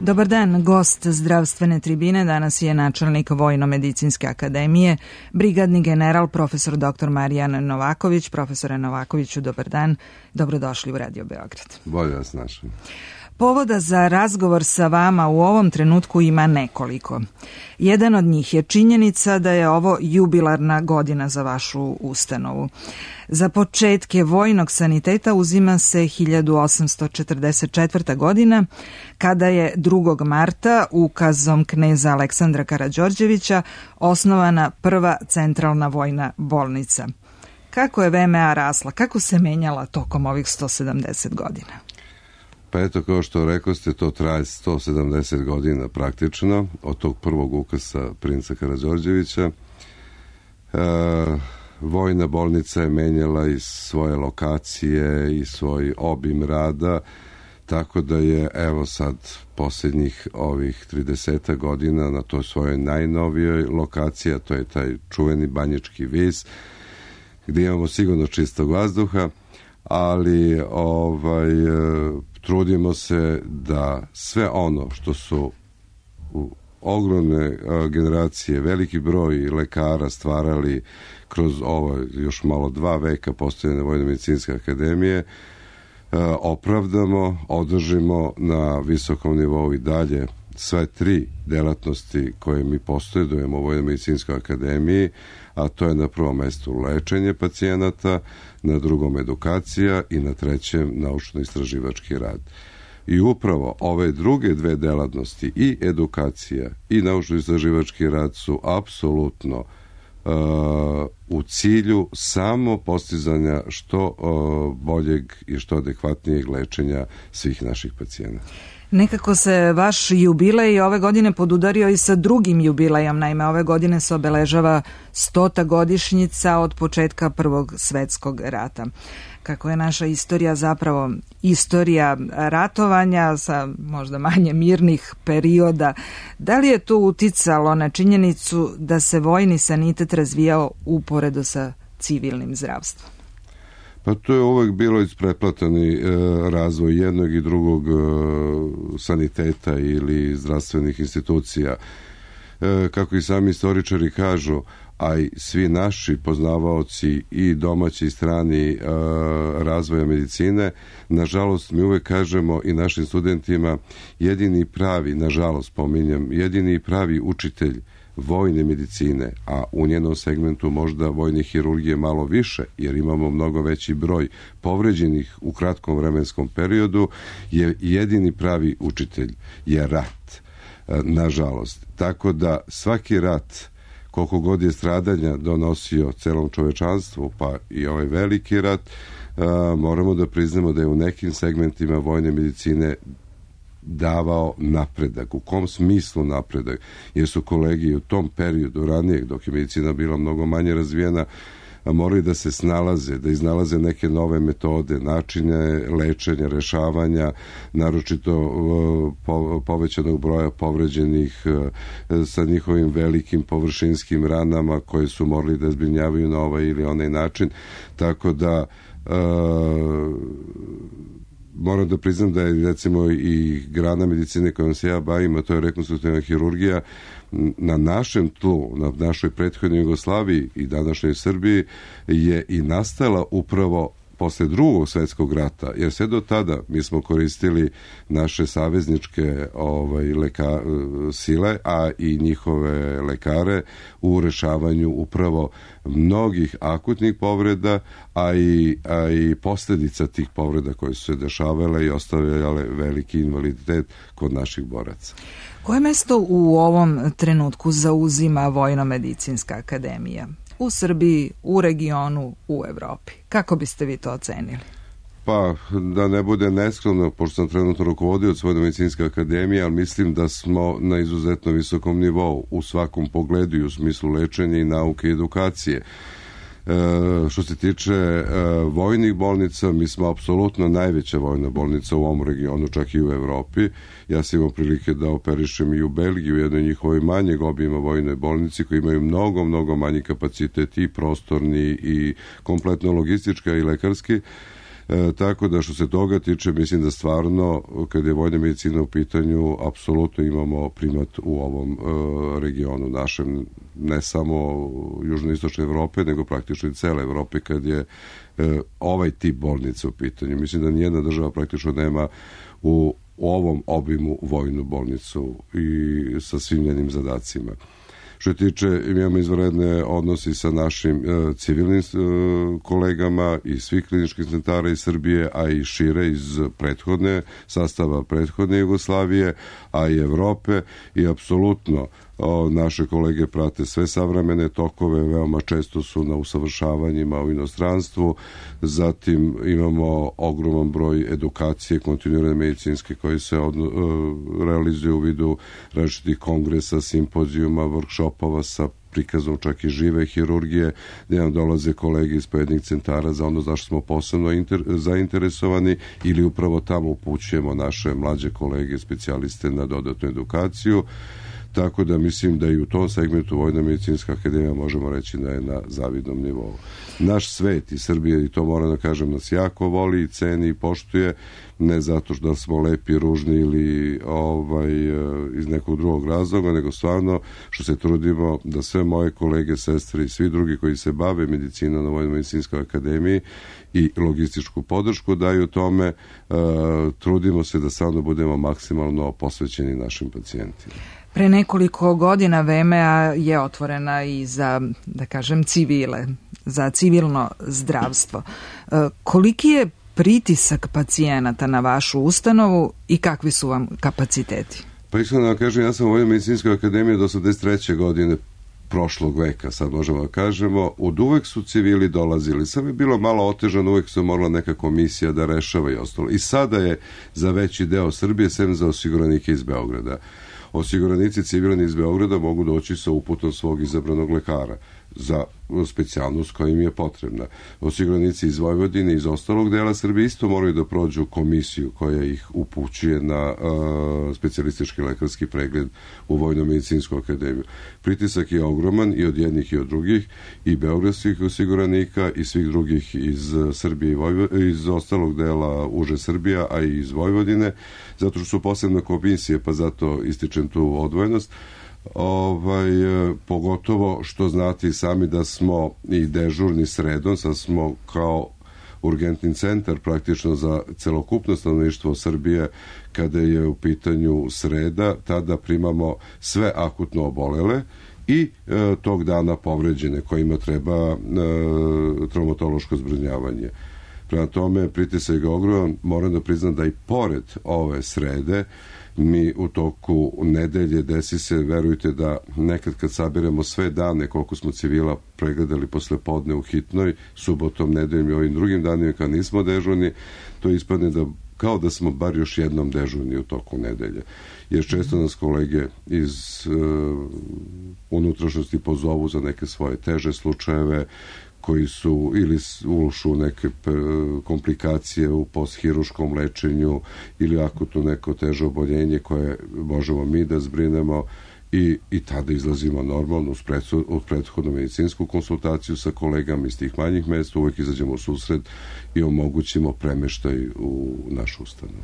Dobar dan, gost zdravstvene tribine danas je načelnik Vojno-medicinske akademije, brigadni general profesor dr. Marijan Novaković. Profesore Novakoviću, dobar dan, dobrodošli u Radio Beograd. Bolje vas našli. Povoda za razgovor sa vama u ovom trenutku ima nekoliko. Jedan od njih je činjenica da je ovo jubilarna godina za vašu ustanovu. Za početke vojnog saniteta uzima se 1844. godina, kada je 2. marta ukazom kneza Aleksandra Karađorđevića osnovana prva centralna vojna bolnica. Kako je VMA rasla, kako se menjala tokom ovih 170 godina? Pa eto, kao što rekoste, to traje 170 godina praktično, od tog prvog ukasa princa Karađorđevića. Vojna bolnica je menjala i svoje lokacije i svoj obim rada, tako da je, evo sad, posljednjih ovih 30 godina na toj svojoj najnovijoj lokaciji, a to je taj čuveni Banjički vis, gdje imamo sigurno čistog vazduha, ali trudimo se da sve ono što su ogromne generacije, veliki broj lekara stvarali kroz ovo još malo 2 veka postojanja Vojno-medicinske akademije, opravdamo, održimo na visokom nivou i dalje sve 3 delatnosti koje mi posjedujemo u Vojno-medicinskoj akademiji, a to je na prvom mestu lečenje pacijenata, na drugom edukacija i na trećem naučno-istraživački rad. I upravo ove druge 2 delatnosti, i edukacija i naučno-istraživački rad, su apsolutno u cilju samo postizanja što boljeg i što adekvatnijeg lečenja svih naših pacijenata. Nekako se vaš jubilej ove godine podudario i sa drugim jubilejom. Naime, ove godine se obeležava 100. godišnjica od početka Prvog svetskog rata. Kako je naša istorija zapravo istorija ratovanja sa možda manje mirnih perioda, da li je to uticalo na činjenicu da se vojni sanitet razvijao uporedo sa civilnim zdravstvom? Pa to je uvek bilo ispreplatani razvoj jednog i drugog saniteta ili zdravstvenih institucija. Kako i sami istoričari kažu, a i svi naši poznavaoci i domaći i strani razvoja medicine, nažalost mi uvek kažemo i našim studentima, jedini pravi, nažalost pominjem, jedini pravi učitelj vojne medicine, a u njenom segmentu možda vojne hirurgije malo više, jer imamo mnogo veći broj povređenih u kratkom vremenskom periodu, je jedini pravi učitelj je rat, nažalost. Tako da svaki rat, koliko god je stradanja donosio celom čovečanstvu, pa i ovaj veliki rat, moramo da priznamo da je u nekim segmentima vojne medicine davao napredak. U kom smislu napredak? Jer su kolegi u tom periodu ranijeg, dok je medicina bila mnogo manje razvijena, morali da se snalaze, da iznalaze neke nove metode, načine lečenja, rešavanja, naročito povećanog broja povređenih sa njihovim velikim površinskim ranama koje su morali da zbrinjavaju na ovaj ili onaj način. Tako da moram da priznam da je recimo i grana medicine kojom se ja bavim, a to je rekonstruktivna hirurgija, na našem tlu, na našoj prethodnoj Jugoslaviji i današnjoj Srbiji je i nastala upravo posle Drugog svetskog rata, jer sve do tada mi smo koristili naše savezničke sile, a i njihove lekare u rešavanju upravo mnogih akutnih povreda, a i posljedica tih povreda koje su se dešavale i ostavljale veliki invaliditet kod naših boraca. Koje mesto u ovom trenutku zauzima Vojno-medicinska akademija? U Srbiji, u regionu, u Evropi. Kako biste vi to ocenili? Pa, da ne bude neskromno, pošto sam trenutno rukovodioc Vojno-medicinske akademije, ali mislim da smo na izuzetno visokom nivou u svakom pogledu i u smislu lečenja i nauke i edukacije. Što se tiče vojnih bolnica, mi smo apsolutno najveća vojna bolnica u ovom regionu, čak i u Evropi. Ja sam imao prilike da operišem i u Belgiji, u jednoj njihovoj manjeg obima vojnoj bolnici, koji imaju mnogo manji kapacitet i prostorni i kompletno logistički i lekarski. Tako da što se toga tiče, mislim da stvarno kad je vojna medicina u pitanju apsolutno imamo primat u ovom regionu našem, ne samo južnoistočne Evrope, nego praktično i cele Evrope kad je ovaj tip bolnice u pitanju. Mislim da nijedna država praktično nema u ovom obimu vojnu bolnicu i sa svim njenim zadacima. Što tiče, imamo izvanredne odnosi sa našim civilnim kolegama iz svih kliničkih centara iz Srbije, a i šire iz sastava prethodne Jugoslavije, a i Evrope, i apsolutno naše kolege prate sve savremene tokove, veoma često su na usavršavanjima u inostranstvu, zatim imamo ogroman broj edukacije kontinuirane medicinske koji se realizuju u vidu različitih kongresa, simpozijuma, workshopova sa prikazom čak i žive hirurgije, gde nam dolaze kolege iz pojednih centara za ono zašto smo posebno zainteresovani, ili upravo tamo upućujemo naše mlađe kolege, specijaliste na dodatnu edukaciju. Tako da mislim da i u tom segmentu Vojna medicinska akademija možemo reći da je na zavidnom nivou. Naš svet i Srbija, i to moram da kažem, nas jako voli i ceni i poštuje, ne zato što smo lepi, ružni ili iz nekog drugog razloga, nego stvarno što se trudimo da sve moje kolege, sestre i svi drugi koji se bave medicinom na Vojnoj medicinskoj akademiji i logističku podršku daju tome, trudimo se da stvarno budemo maksimalno posvećeni našim pacijentima. Pre nekoliko godina VMA je otvorena i za, da kažem, civile, za civilno zdravstvo. Koliki je pritisak pacijenata na vašu ustanovu i kakvi su vam kapaciteti? Pa iskreno da kažem, ja sam u Vojnoj medicinskoj akademiji do 83. godine prošlog veka, sad možemo da kažemo, od uvek su civili dolazili, samo je bilo malo otežano, uvek su morala neka komisija da rešava i ostalo. I sada je za veći deo Srbije, sem za osiguranike iz Beograda. Osiguranici civilni iz Beograda mogu doći sa uputom svog izabranog lekara za specijalnost koja im je potrebna. Osiguranici iz Vojvodine i iz ostalog dela Srbije isto moraju da prođu komisiju koja ih upućuje na specijalistički lekarski pregled u Vojnu medicinsku akademiju. Pritisak je ogroman i od jednih i od drugih, i beogradskih osiguranika i svih drugih iz Srbije i iz ostalog dela uže Srbija, a i iz Vojvodine, zato što su posebne komisije, pa zato ističem tu odvojenost. Pogotovo što znate i sami da smo i dežurni sredom, sad smo kao urgentni centar praktično za celokupno stanovništvo Srbije kada je u pitanju sreda, tada primamo sve akutno obolele i tog dana povređene kojima treba traumatološko zbrinjavanje. Prema tome, pritisak je ogroman, moram da priznam da i pored ove srede mi u toku nedelje desi se, verujte da nekad kad sabiramo sve dane koliko smo civila pregledali posle podne u hitnoj, subotom, nedeljom i ovim drugim danima kad nismo dežurni, to ispadne da kao da smo bar još jednom dežurni u toku nedelje. Jer često nas kolege iz unutrašnjosti pozovu za neke svoje teže slučajeve koji su ili ušu neke komplikacije u posthiruškom lečenju ili akutno neko teže oboljenje koje možemo mi da zbrinemo i tada izlazimo normalno uz prethodnu medicinsku konsultaciju sa kolegama iz tih manjih mesta, uvek izađemo u susret i omogućimo premeštaj u našu ustanovu.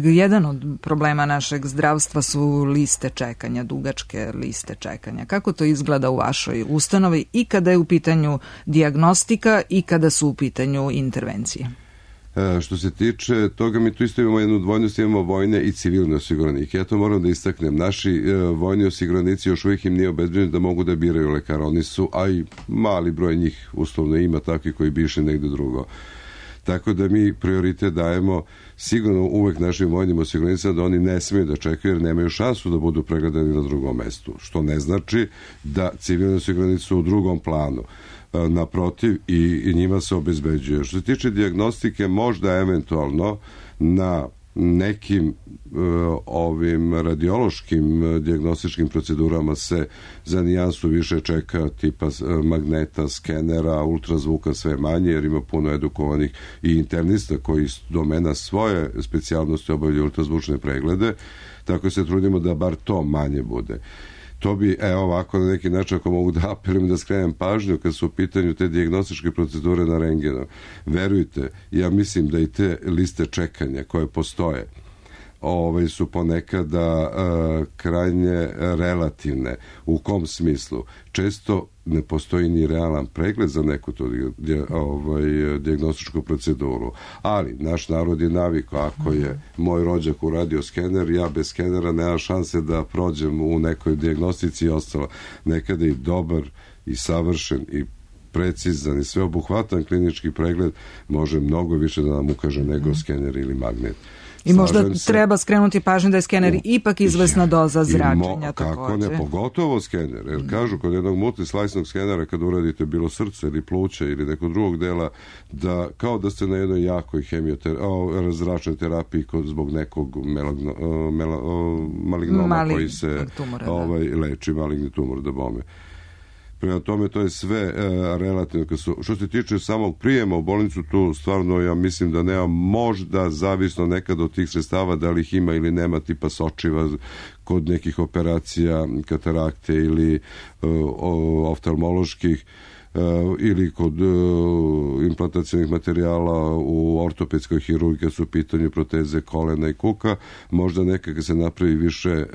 Jedan od problema našeg zdravstva su liste čekanja, dugačke liste čekanja. Kako to izgleda u vašoj ustanovi i kada je u pitanju dijagnostika i kada su u pitanju intervencije? Što se tiče toga, mi tu isto imamo jednu dvojnost, imamo vojne i civilne osiguranike. Ja to moram da istaknem. Naši vojni osiguranici još uvijek im nije obezbeđeno da mogu da biraju lekara. Oni su, a i mali broj njih uslovno ima takvi koji bi išli negde drugo. Tako da mi prioritet dajemo sigurno uvek našim vojnim osiguranicima da oni ne smiju da čekaju jer nemaju šansu da budu pregledani na drugom mestu. Što ne znači da civilni osiguranici su u drugom planu. Naprotiv, i njima se obezbeđuje. Što se tiče dijagnostike, možda eventualno na nekim ovim radiološkim dijagnostičkim procedurama se za nijansu više čeka, tipa magneta, skenera, ultrazvuka sve manje, jer ima puno edukovanih i internista koji domena svoje specijalnosti obavljaju ultrazvučne preglede, tako se trudimo da bar to manje bude. To bi, ovako na neki način, ako mogu da apelujem da skrenem pažnju kad su u pitanju te dijagnostičke procedure na rengenu. Verujte, ja mislim da i te liste čekanja koje postoje su ponekada krajnje relativne. U kom smislu? Često ne postoji ni realan pregled za neku tu dijagnostičku proceduru. Ali naš narod je navikao, ako je moj rođak uradio skener, ja bez skenera nema šanse da prođem u nekoj dijagnostici i ostalo. Nekada i dobar i savršen i precizan i sveobuhvatan klinički pregled može mnogo više da nam ukaže nego skener ili magnet. I možda treba skrenuti pažnju da je skener ipak izvesna doza zračenja. Kako ne, pogotovo skener. Jer kažu kod jednog multislajsnog skenera kad uradite bilo srce ili pluća ili nekog drugog dela, da kao da ste na jednoj jakoj zračnoj terapiji zbog nekog malignoma koji se leči, maligni tumor da bome. Prema tome, to je sve relativno. Što se tiče samog prijema u bolnicu, tu stvarno ja mislim da nema, možda zavisno nekad od tih sredstava, da li ih ima ili nema, tipa sočiva kod nekih operacija, katarakte ili oftalmoloških, ili kod implantacionih materijala u ortopedskoj hirurgiji kad su u pitanju proteze kolena i kuka, možda nekako se napravi više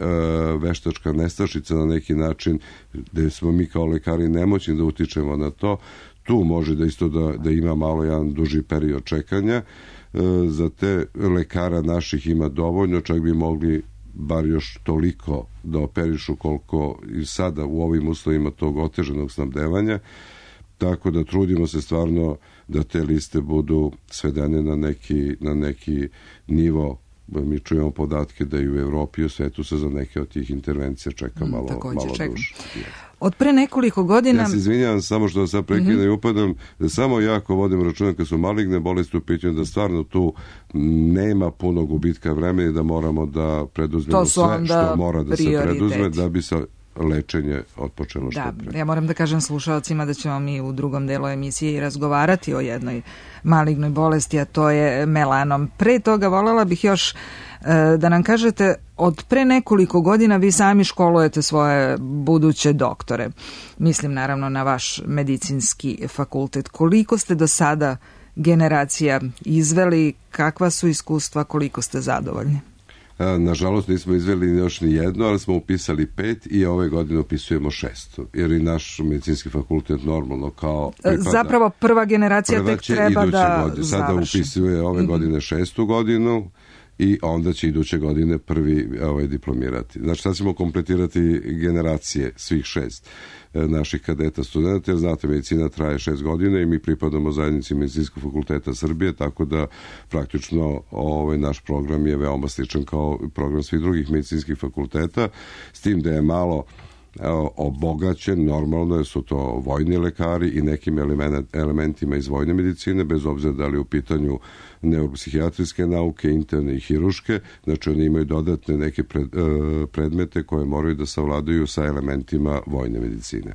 veštačka nestašica na neki način, gde smo mi kao lekari nemoćni da utičemo na to. Tu može da isto da ima malo jedan duži period čekanja. Za te lekara naših ima dovoljno, čak bi mogli bar još toliko da operišu koliko i sada u ovim uslovima tog oteženog snabdevanja. Tako da trudimo se stvarno da te liste budu svedene na neki nivo. Mi čujemo podatke da i u Evropi i u svetu se za neke od tih intervencija čeka malo duže. Od pre nekoliko godina... Ja se izvinjavam samo što sad prekidam i upadam, da samo jako vodim računa kad su maligne bolesti u pitanju, da stvarno tu nema puno gubitka vremena i da moramo da preduzmemo sve što mora da se preduzme da bi se lečenje otpočelo što pre. Ja moram da kažem slušalcima da ćemo mi u drugom delu emisije i razgovarati o jednoj malignoj bolesti, a to je melanom. Pre toga voljela bih još da nam kažete, od pre nekoliko godina vi sami školujete svoje buduće doktore. Mislim naravno na vaš medicinski fakultet. Koliko ste do sada generacija izveli, kakva su iskustva, koliko ste zadovoljni? Nažalost nismo izveli još ni jedno, ali smo upisali 5 i ove godine upisujemo 6. Jer i naš medicinski fakultet normalno kao pripada... Zapravo prva generacija tek treba da završi. Sada upisuje ove godine 6. godinu i onda će iduće godine prvi diplomirati. Znači sad ćemo kompletirati generacije svih 6 naših kadeta studenta, jer znate, medicina traje 6 godina i mi pripadamo zajednici Medicinskog fakulteta Srbije, tako da praktično naš program je veoma sličan kao program svih drugih medicinskih fakulteta, s tim da je malo obogaćen, normalno jer su to vojni lekari i nekim elementima iz vojne medicine, bez obzira da li u pitanju neuropsihijatrijske nauke, interne i hiruške, znači oni imaju dodatne neke predmete koje moraju da savladaju sa elementima vojne medicine,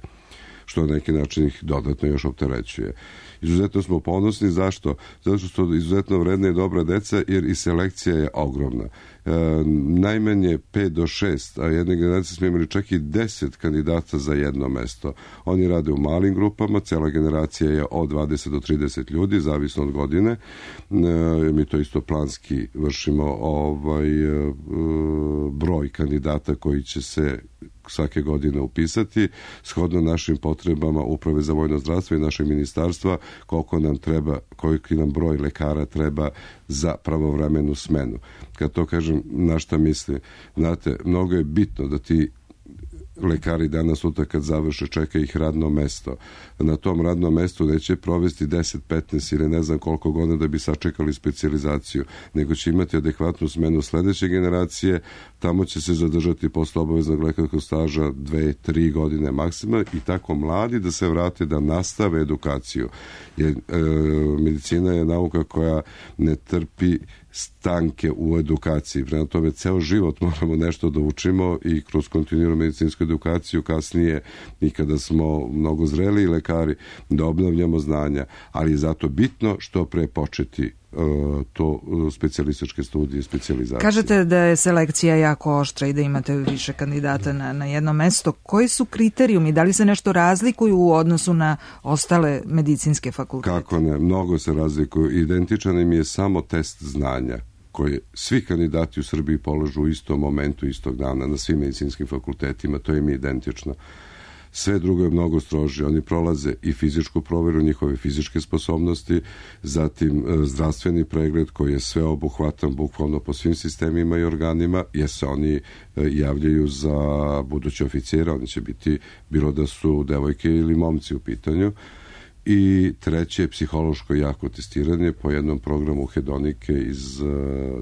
što na neki način ih dodatno još opterećuje. Izuzetno smo ponosni, zašto? Zato što su izuzetno vredna i dobra deca, jer i selekcija je ogromna. Najmanje 5 do 6, a jedne generacije smo imali čak i 10 kandidata za jedno mesto. Oni rade u malim grupama, cela generacija je od 20 do 30 ljudi, zavisno od godine. Mi to isto planski vršimo broj kandidata koji će se svake godine upisati, shodno našim potrebama Uprave za vojno zdravstvo i našeg ministarstva, koliki nam broj lekara treba za pravovremenu smenu. Kad to kažem, na šta misli? Znate, mnogo je bitno da ti lekari danas sutra kad završe čeka ih radno mesto. Na tom radnom mestu neće provesti 10, 15 ili ne znam koliko godina da bi sačekali specijalizaciju, nego će imati adekvatnu smenu sledeće generacije, tamo će se zadržati posle obaveznog lekarskog staža 2, 3 godine maksimalno i tako mladi da se vrate da nastave edukaciju. Jer medicina je nauka koja ne trpi stanke u edukaciji. Prema tome, ceo život moramo nešto da učimo i kroz kontinuiranu medicinsku fizičku edukaciju kasnije i kada smo mnogo zreliji lekari da obnavljamo znanja, ali je zato bitno što pre početi to specijalističke studije, specijalizacije. Kažete da je selekcija jako oštra i da imate više kandidata na jedno mesto. Koji su kriterijumi? Da li se nešto razlikuju u odnosu na ostale medicinske fakultete? Kako ne, mnogo se razlikuju. Identičan im je samo test znanja koje svi kandidati u Srbiji polažu u istom momentu, istog dana, na svim medicinskim fakultetima, to im je identično. Sve drugo je mnogo strože. Oni prolaze i fizičku proveru, njihove fizičke sposobnosti, zatim zdravstveni pregled koji je sveobuhvatan bukvalno po svim sistemima i organima, jer se oni javljaju za buduće oficire, oni će biti bilo da su devojke ili momci u pitanju. I treće je psihološko jako testiranje po jednom programu hedonike iz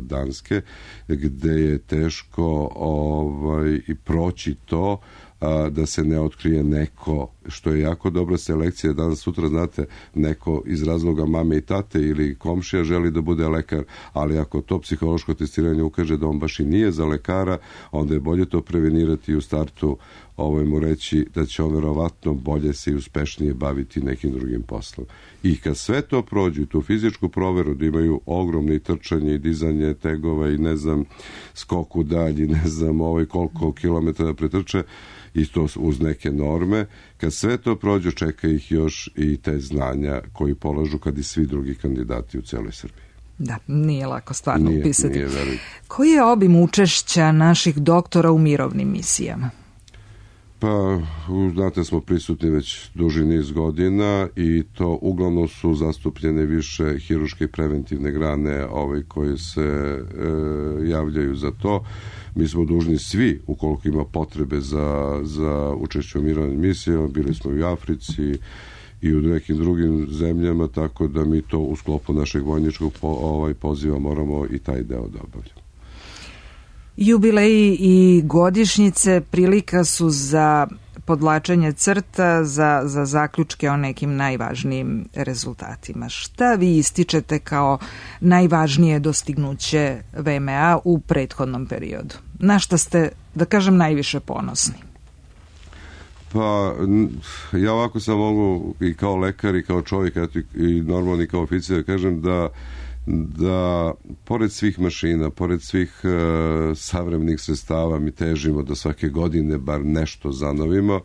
Danske, gde je teško i proći to da se ne otkrije neko, što je jako dobra selekcija. Danas sutra, znate, neko iz razloga mame i tate ili komšija želi da bude lekar, ali ako to psihološko testiranje ukaže da on baš i nije za lekara, onda je bolje to prevenirati i u startu mu reći da će on verovatno bolje se i uspešnije baviti nekim drugim poslom. I kad sve to prođu, tu fizičku proveru, da imaju ogromne trčanje i dizanje tegova i ne znam, skok u dalji, ne znam koliko kilometara pretrče, i to uz neke norme, kad sve to prođu, čeka ih još i te znanja koji polažu kad i svi drugi kandidati u celoj Srbiji. Da, nije lako stvarno upisati. Nije veliko. Koji je obim učešća naših doktora u mirovnim misijama? Pa, znate, smo prisutni već duži niz godina i to uglavnom su zastupljene više hiruške i preventivne grane koje se javljaju za to. Mi smo dužni svi, ukoliko ima potrebe za učešće u mirovnim misijama, bili smo i u Africi i u nekim drugim zemljama, tako da mi to u sklopu našeg vojničkog poziva moramo i taj deo da obavljamo. Jubileji i godišnjice prilika su za podvlačenje crta, za zaključke o nekim najvažnijim rezultatima. Šta vi ističete kao najvažnije dostignuće VMA u prethodnom periodu? Na šta ste, da kažem, najviše ponosni? Pa, ja ovako sam mogu i kao lekar i kao čovjek i normalni kao oficir da kažem da pored svih mašina, pored svih savremenih sredstava mi težimo da svake godine bar nešto zanovimo,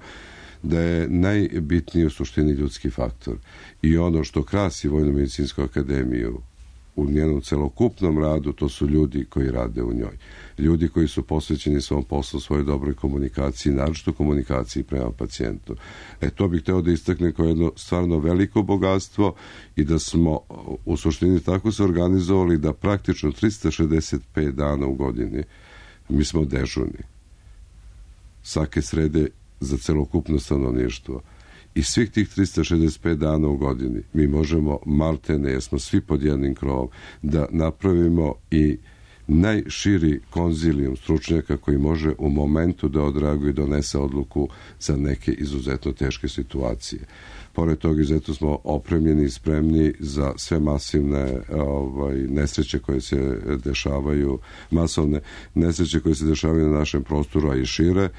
da je najbitniji u suštini ljudski faktor. I ono što krasi Vojno-medicinsku akademiju u njenom celokupnom radu, to su ljudi koji rade u njoj. Ljudi koji su posvećeni svom poslu, svojoj dobroj komunikaciji, naročito komunikaciji prema pacijentu. To bih hteo da istaknem kao jedno stvarno veliko bogatstvo i da smo u suštini tako se organizovali da praktično 365 dana u godini mi smo dežurni. Svake srede za celokupno stanovništvo. I svih tih 365 dana u godini mi možemo maltene, jer smo svi pod jednim krovom, da napravimo i najširi konzilijum stručnjaka koji može u momentu da odreaguje i donese odluku za neke izuzetno teške situacije. Pored toga, izuzetno smo opremljeni i spremni za sve masivne nesreće koje se dešavaju, masovne nesreće koje se dešavaju na našem prostoru, a i šire,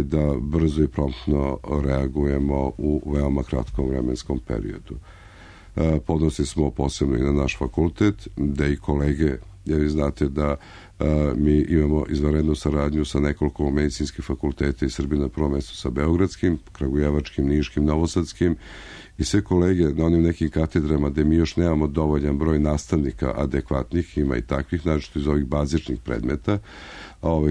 da brzo i promptno reagujemo u veoma kratkom vremenskom periodu. Podnosili smo posebno i na naš fakultet, da i kolege, jer vi znate da mi imamo izvanrednu saradnju sa nekoliko medicinskih fakulteta iz Srbije, na prvom mestu sa Beogradskim, Kragujevačkim, Niškim, Novosadskim, i sve kolege na onim nekim katedrama gde mi još nemamo dovoljan broj nastavnika adekvatnih, ima i takvih, znači iz ovih bazičnih predmeta,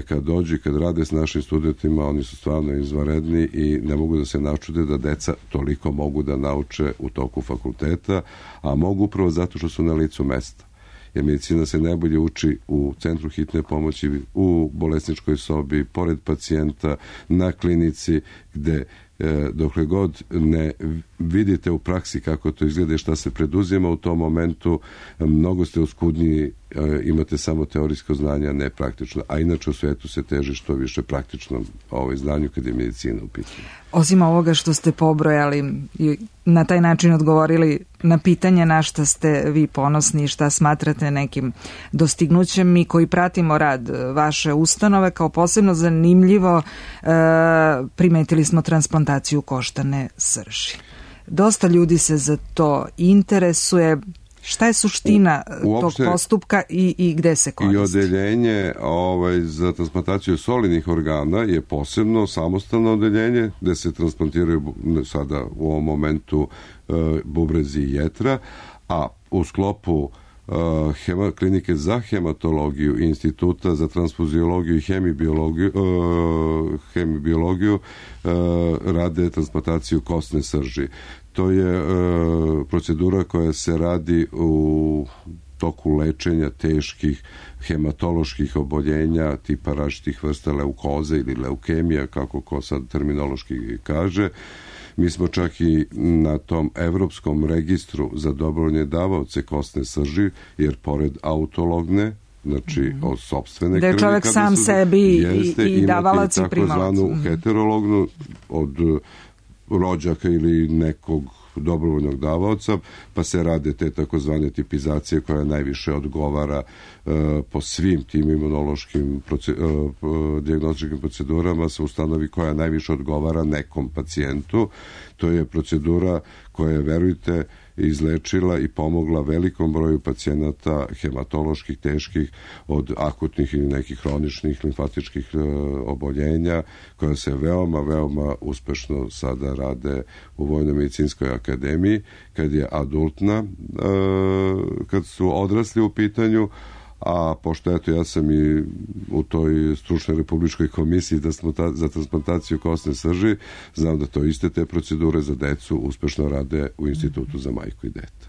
kad dođu i kad rade s našim studentima, oni su stvarno izvanredni i ne mogu da se načude da deca toliko mogu da nauče u toku fakulteta, a mogu upravo zato što su na licu mesta. Jer medicina se najbolje uči u centru hitne pomoći, u bolesničkoj sobi, pored pacijenta, na klinici, gde dokle god ne vidite u praksi kako to izgleda i šta se preduzima u tom momentu, mnogo ste oskudniji, imate samo teorijsko znanje, a ne praktično. A inače u svetu se teži što više praktičnom znanju kad je medicina u pitanju. Osim ovoga što ste pobrojali i na taj način odgovorili na pitanje na šta ste vi ponosni i šta smatrate nekim dostignućem, mi koji pratimo rad vaše ustanove kao posebno zanimljivo primetili smo transplantaciju koštane srži. Dosta ljudi se za to interesuje. Šta je suština tog postupka i gde se koristi? I odeljenje za transplantaciju solidnih organa je posebno samostalno odeljenje gde se transplantiraju sada u ovom momentu bubrezi i jetra, a u sklopu klinike za hematologiju i instituta za transfuziologiju i hemibiologiju rade transplantaciju kostne srži. To je procedura koja se radi u toku lečenja teških hematoloških oboljenja tipa različitih vrsta leukoze ili leukemija, kako ko sad terminološki kaže. Mi smo čak i na tom evropskom registru za dobrovoljne davaoce kostne srži, jer pored autologne, znači od sopstvene krvi, da je čovjek sam sebi i davalac i primalac. Takozvanu heterolognu od rođaka ili nekog dobrovoljnog davaoca, pa se rade te takozvane tipizacije koja najviše odgovara po svim tim imunološkim dijagnostičkim procedurama se ustanovi koja najviše odgovara nekom pacijentu. To je procedura koja je, verujte, izlečila i pomogla velikom broju pacijenata hematoloških, teških, od akutnih ili nekih hroničnih limfatičkih oboljenja, koja se veoma, veoma uspešno sada rade u Vojno-medicinskoj akademiji, kad je adultna, kad su odrasli u pitanju, a pošto eto ja sam i u toj stručnoj republičkoj komisiji za transplantaciju kostne srži, znam da to iste te procedure za decu uspešno rade u Institutu za majku i dete.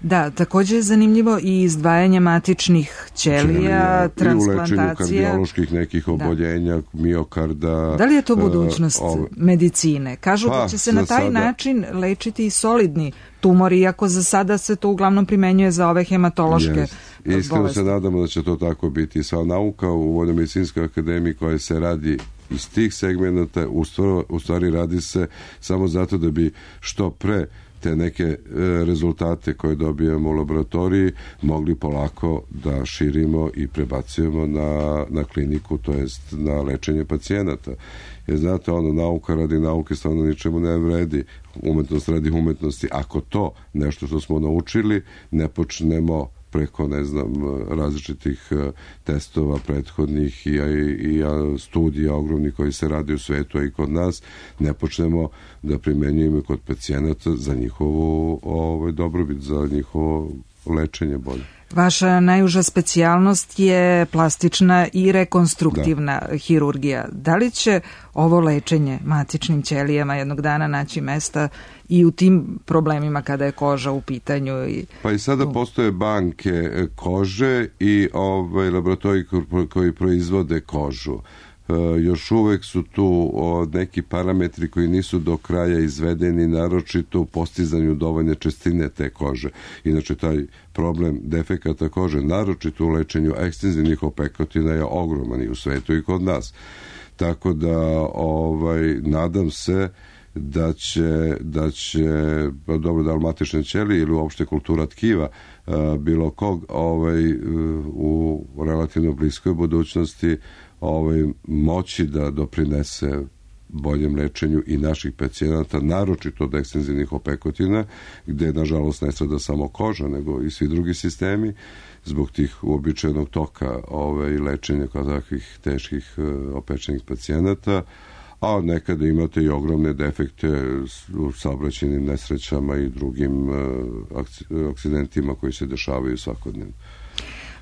Da, također je zanimljivo i izdvajanje matičnih ćelija, transplantacija. I u lečenju kardioloških nekih oboljenja, miokarda. Da li je to budućnost medicine? Kažu da će se na taj način lečiti i solidni tumori, iako za sada se to uglavnom primenjuje za ove hematološke bolesti. Iskreno se nadamo da će to tako biti. Sva nauka u Vojno-medicinskoj akademiji koja se radi iz tih segmenta, u stvari radi se samo zato da bi što pre te neke rezultate koje dobijemo u laboratoriji mogli polako da širimo i prebacujemo na kliniku, to jest na lečenje pacijenata. Jer znate, nauka radi nauke stvarno ničemu ne vredi, umetnost radi umetnosti. Ako to nešto što smo naučili ne počnemo preko, različitih testova prethodnih i studija ogromnih koji se radi u svetu, a i kod nas, ne počnemo da primenjujemo kod pacijenata za njihovu dobrobit, za njihovo lečenje bolje. Vaša najuža specijalnost je plastična i rekonstruktivna hirurgija. Da li će ovo lečenje matičnim ćelijama jednog dana naći mesta i u tim problemima kada je koža u pitanju? Pa i sada postoje banke kože i laboratoriji koji proizvode kožu. Još uvek su tu neki parametri koji nisu do kraja izvedeni, naročito u postizanju dovoljne čestine te kože. Inače, taj problem defekata kože, naročito u lečenju ekstenzivnih opekotina, je ogroman i u svetu i kod nas. Tako da nadam se da će matične ćelije ili uopšte kultura tkiva bilo kog u relativno bliskoj budućnosti moći da doprinese boljem lečenju i naših pacijenata, naročito od ekstenzivnih opekotina, gde nažalost ne strada samo koža, nego i svi drugi sistemi, zbog tih uobičajenog toka lečenja kao takvih teških opečenih pacijenata, a nekada imate i ogromne defekte u saobraćajnim nesrećama i drugim akcidentima koji se dešavaju svakodnevno.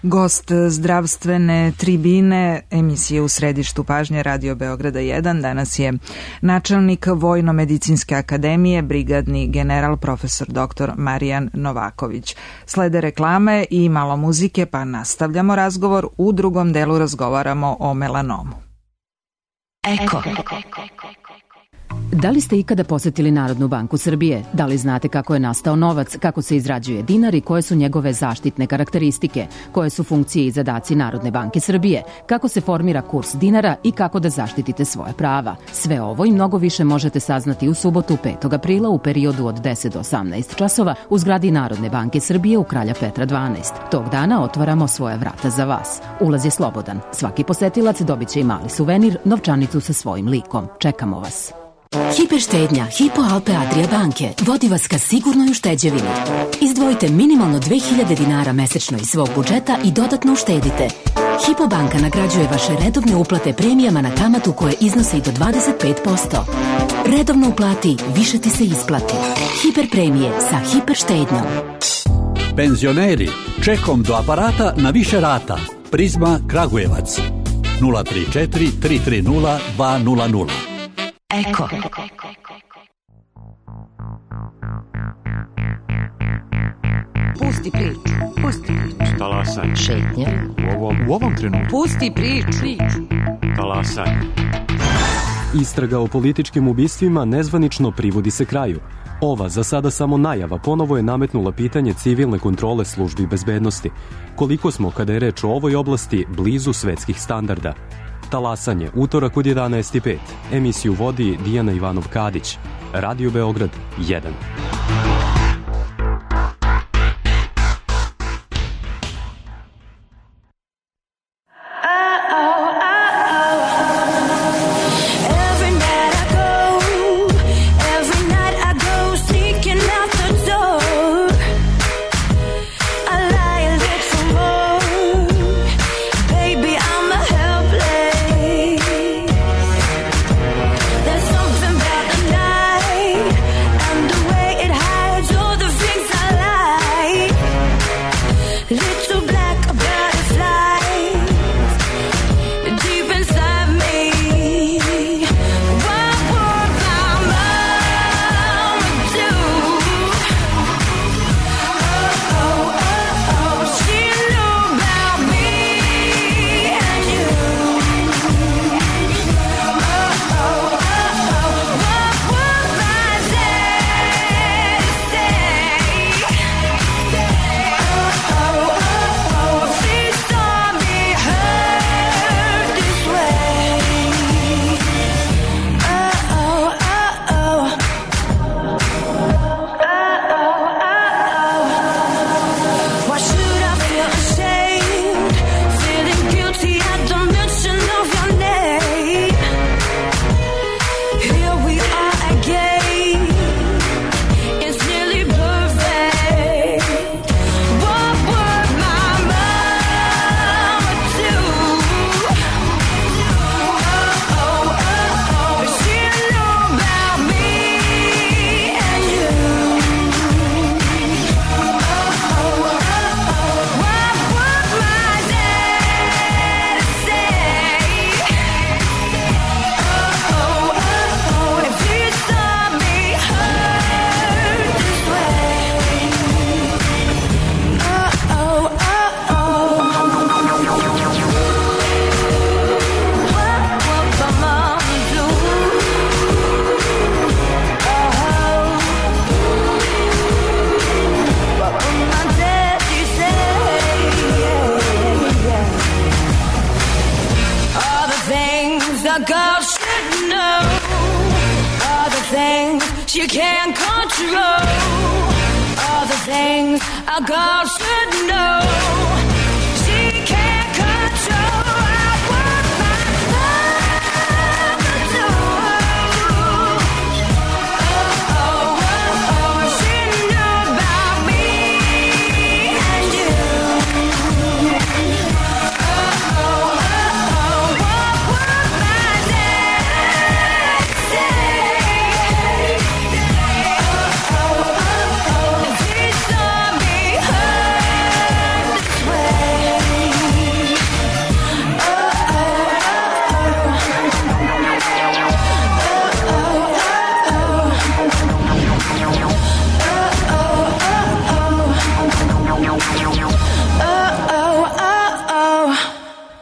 Gost zdravstvene tribine emisije U središtu pažnje Radio Beograda 1 danas je načelnik Vojno-medicinske akademije, brigadni general profesor dr. Marijan Novaković. Slede reklame i malo muzike, pa nastavljamo razgovor. U drugom delu razgovaramo o melanomu. Eko. Da li ste ikada posetili Narodnu banku Srbije? Da li znate kako je nastao novac, kako se izrađuje dinar i koje su njegove zaštitne karakteristike? Koje su funkcije i zadaci Narodne banke Srbije? Kako se formira kurs dinara i kako da zaštitite svoje prava? Sve ovo i mnogo više možete saznati u subotu 5. aprila u periodu od 10 do 18 časova u zgradi Narodne banke Srbije u Kralja Petra 12. Tog dana otvaramo svoja vrata za vas. Ulaz je slobodan. Svaki posetilac dobit će i mali suvenir, novčanicu sa svojim likom. Čekamo vas. Hiperštednja Hypo Alpe Adria banke vodi vas ka sigurnoj ušteđevini. Izdvojite minimalno 2000 dinara mesečno iz svog budžeta i dodatno uštedite. Hypo banka nagrađuje vaše redovne uplate premijama na kamatu koje iznose i do 25%. Redovno uplati, više ti se isplati. Hiperpremije sa hiperštednjom. Penzioneri, čekom do aparata na više rata. Prizma Kragujevac 034 330 200. Eko. Pusti priču. Talasaj. Šetnja. U ovom trenutku. Pusti priču. Talasaj. Istraga o političkim ubistvima nezvanično privodi se kraju. Ova, za sada samo najava, ponovo je nametnula pitanje civilne kontrole službi bezbednosti. Koliko smo, kada je reč o ovoj oblasti, blizu svetskih standarda? Talasanje, utorak od 11:05. Emisiju vodi Dijana Ivanov-Kadić. Radio Beograd 1.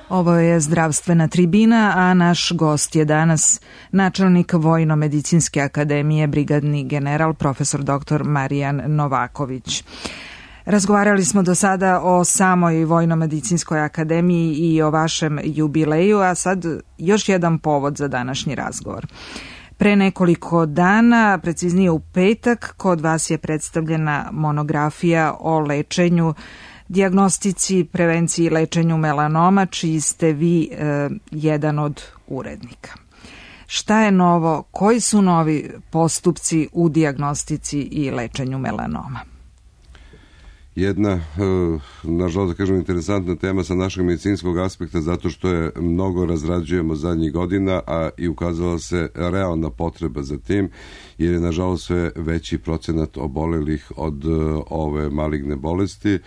Ovo je Zdravstvena tribina, a naš gost je danas načelnik Vojno-medicinske akademije, brigadni general, profesor dr. Marijan Novaković. Razgovarali smo do sada o samoj Vojno-medicinskoj akademiji i o vašem jubileju, a sad još jedan povod za današnji razgovor. Pre nekoliko dana, preciznije u petak, kod vas je predstavljena monografija o lečenju, dijagnostici, prevenciji i lečenju melanoma, čiji ste vi jedan od urednika. Šta je novo? Koji su novi postupci u dijagnostici i lečenju melanoma? Jedna, nažalost da kažem, interesantna tema sa našeg medicinskog aspekta, zato što je mnogo razrađujemo zadnjih godina, a i ukazala se realna potreba za tim, jer je nažalost sve veći procenat obolelih od ove maligne bolesti.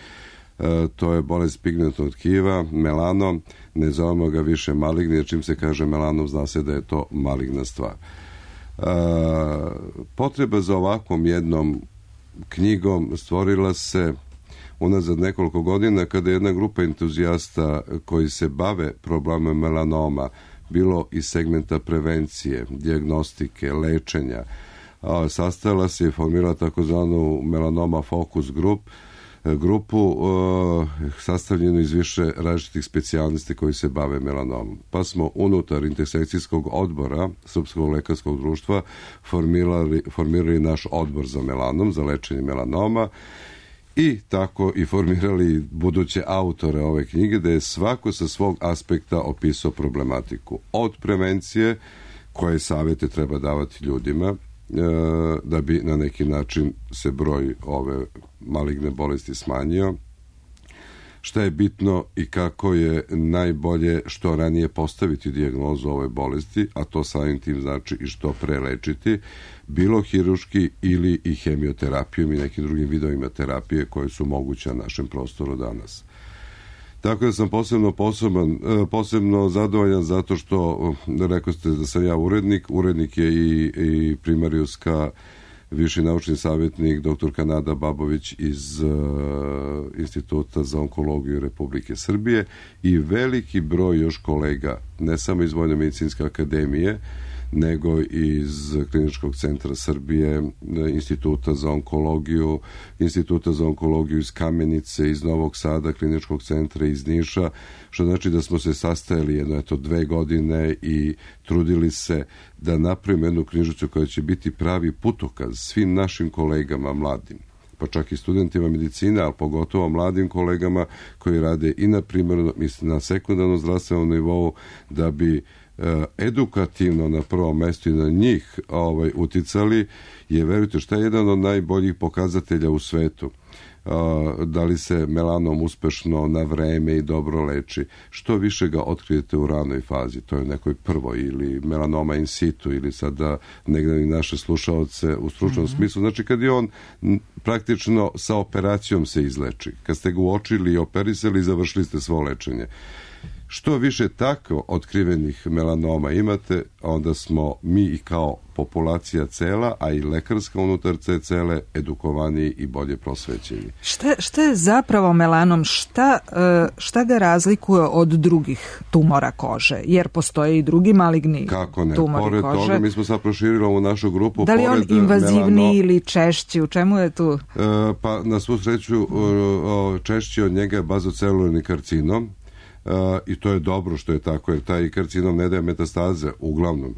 To je bolest pigmentnog tkiva, melanom, ne zovemo ga više maligni, jer čim se kaže melanom zna se da je to maligna stvar. Potreba za ovakvom jednom knjigom stvorila se unazad nekoliko godina kada je jedna grupa entuzijasta koji se bave problemom melanoma, bilo iz segmenta prevencije, dijagnostike, lečenja, sastajala se i formirala takozvanu melanoma fokus grupu sastavljenu iz više različitih specijalnosti koji se bave melanomom. Pa smo unutar intersekcijskog odbora Srpskog lekarskog društva formirali naš odbor za melanom, za lečenje melanoma, i tako i formirali buduće autore ove knjige, da je svako sa svog aspekta opisao problematiku. Od prevencije, koje savjete treba davati ljudima, da bi na neki način se broj ove maligne bolesti smanjio, šta je bitno i kako je najbolje što ranije postaviti dijagnozu ove bolesti, a to samim tim znači i što pre lečiti, bilo hiruški ili i hemioterapijom i nekim drugim vidovima terapije koje su moguće na našem prostoru danas. Tako da sam posebno zadovoljan zato što, rekao ste da sam ja urednik je i primarijuska viši naučni savjetnik dr. Kanada Babović iz Instituta za onkologiju Republike Srbije i veliki broj još kolega, ne samo iz Vojno-medicinske akademije, nego iz Kliničkog centra Srbije, Instituta za onkologiju iz Kamenice, iz Novog Sada, Kliničkog centra iz Niša, što znači da smo se sastajali 2 godine i trudili se da napravimo jednu knjižicu koja će biti pravi putokaz svim našim kolegama mladim, pa čak i studentima medicine, ali pogotovo mladim kolegama koji rade i na primarnom i na sekundarnom zdravstvenom nivou, da bi edukativno na prvom mestu i na njih uticali, je, verujte, šta je jedan od najboljih pokazatelja u svetu. Da li se melanom uspešno na vreme i dobro leči. Što više ga otkrijete u ranoj fazi, to je nekoj prvoj, ili melanoma in situ, ili sada negdje i naše slušaoce u stručnom smislu. Znači kad je on praktično sa operacijom se izleči. Kad ste ga uočili i operisali, završili ste svo lečenje. Što više tako otkrivenih melanoma imate, onda smo mi i kao populacija cela, a i lekarska unutar te cele, edukovaniji i bolje prosvećeni. Šta je zapravo melanom? Šta ga razlikuje od drugih tumora kože? Jer postoje i drugi maligni tumori pored kože. Toga, mi smo sad proširili ovu našu grupu. Da li on invazivniji ili češći? U čemu je tu? Pa na svu sreću češći od njega je bazocelularni karcinom. I to je dobro što je tako, jer taj karcinom ne daje metastaze, uglavnom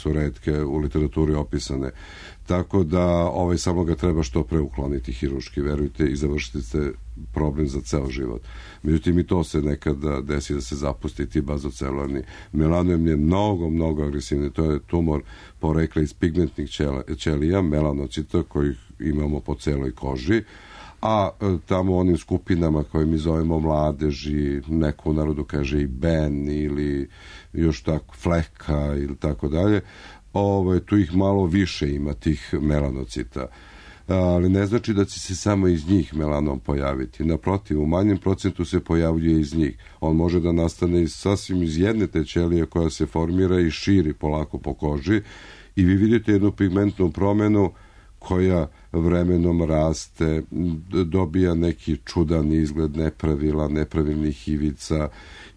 retke u literaturi opisane, tako da samo ga treba što pre ukloniti hiruški, verujte, i završiti ste problem za ceo život. Međutim, i to se nekada desi da se zapusti ti bazocelularni. Melanom je mnogo agresivni, to je tumor porekla iz pigmentnih ćelija, melanocita, kojih imamo po celoj koži, a tamo onim skupinama koje mi zovemo mladeži, neko u narodu kaže i ben ili još tako fleka ili tako dalje, tu ih malo više ima tih melanocita. Ali ne znači da će se samo iz njih melanom pojaviti. Naprotiv, u manjem procentu se pojavljuje iz njih. On može da nastane sasvim iz jedne te ćelije koja se formira i širi polako po koži i vi vidite jednu pigmentnu promenu koja vremenom raste, dobija neki čudan izgled, nepravilnih ivica,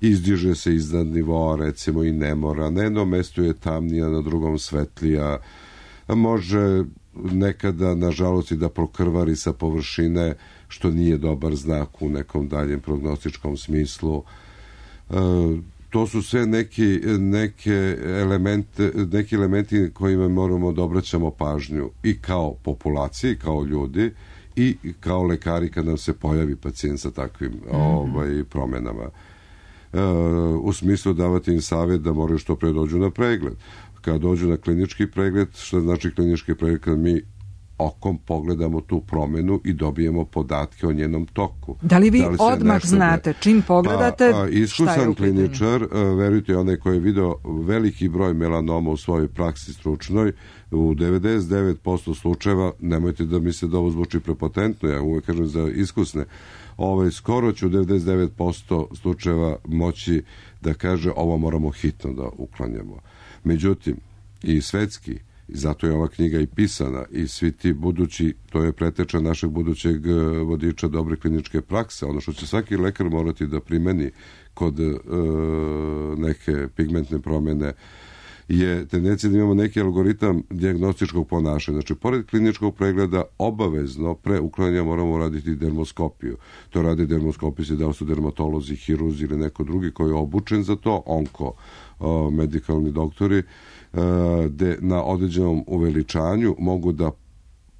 izdiže se iznad nivoa, recimo i nemora, na jednom mestu je tamnija, na drugom svetlija, može nekada, nažalost, i da prokrvari sa površine, što nije dobar znak u nekom daljem prognostičkom smislu. To su sve neki elementi kojima moramo da obraćamo pažnju i kao populaciji, kao ljudi i kao lekari kad nam se pojavi pacijent sa takvim promenama. U smislu davati im savjet da moraju što pre dođu na pregled. Kad dođu na klinički pregled, što znači klinički pregled? Kad mi okom pogledamo tu promenu i dobijemo podatke o njenom toku. Da li vi odmah znate, čim pogledate, iskusan kliničar, verujte, onaj koji je video veliki broj melanoma u svojoj praksi stručnoj, u 99% slučajeva, nemojte da mi se da ovo zvuči prepotentno, ja uvek kažem za iskusne, skoro će u 99% slučajeva moći da kaže ovo moramo hitno da uklanjamo. Međutim, i svetski, i zato je ova knjiga i pisana, i svi ti budući, to je preteča našeg budućeg vodiča dobre kliničke prakse, ono što će svaki lekar morati da primeni kod neke pigmentne promene, je tendencija da imamo neki algoritam dijagnostičkog ponašanja. Znači, pored kliničkog pregleda, obavezno pre uklanjanja moramo raditi dermoskopiju. To rade dermoskopisti, da li su dermatolozi, hirurzi ili neko drugi koji je obučen za to, medikalni doktori, gde na određenom uveličanju mogu da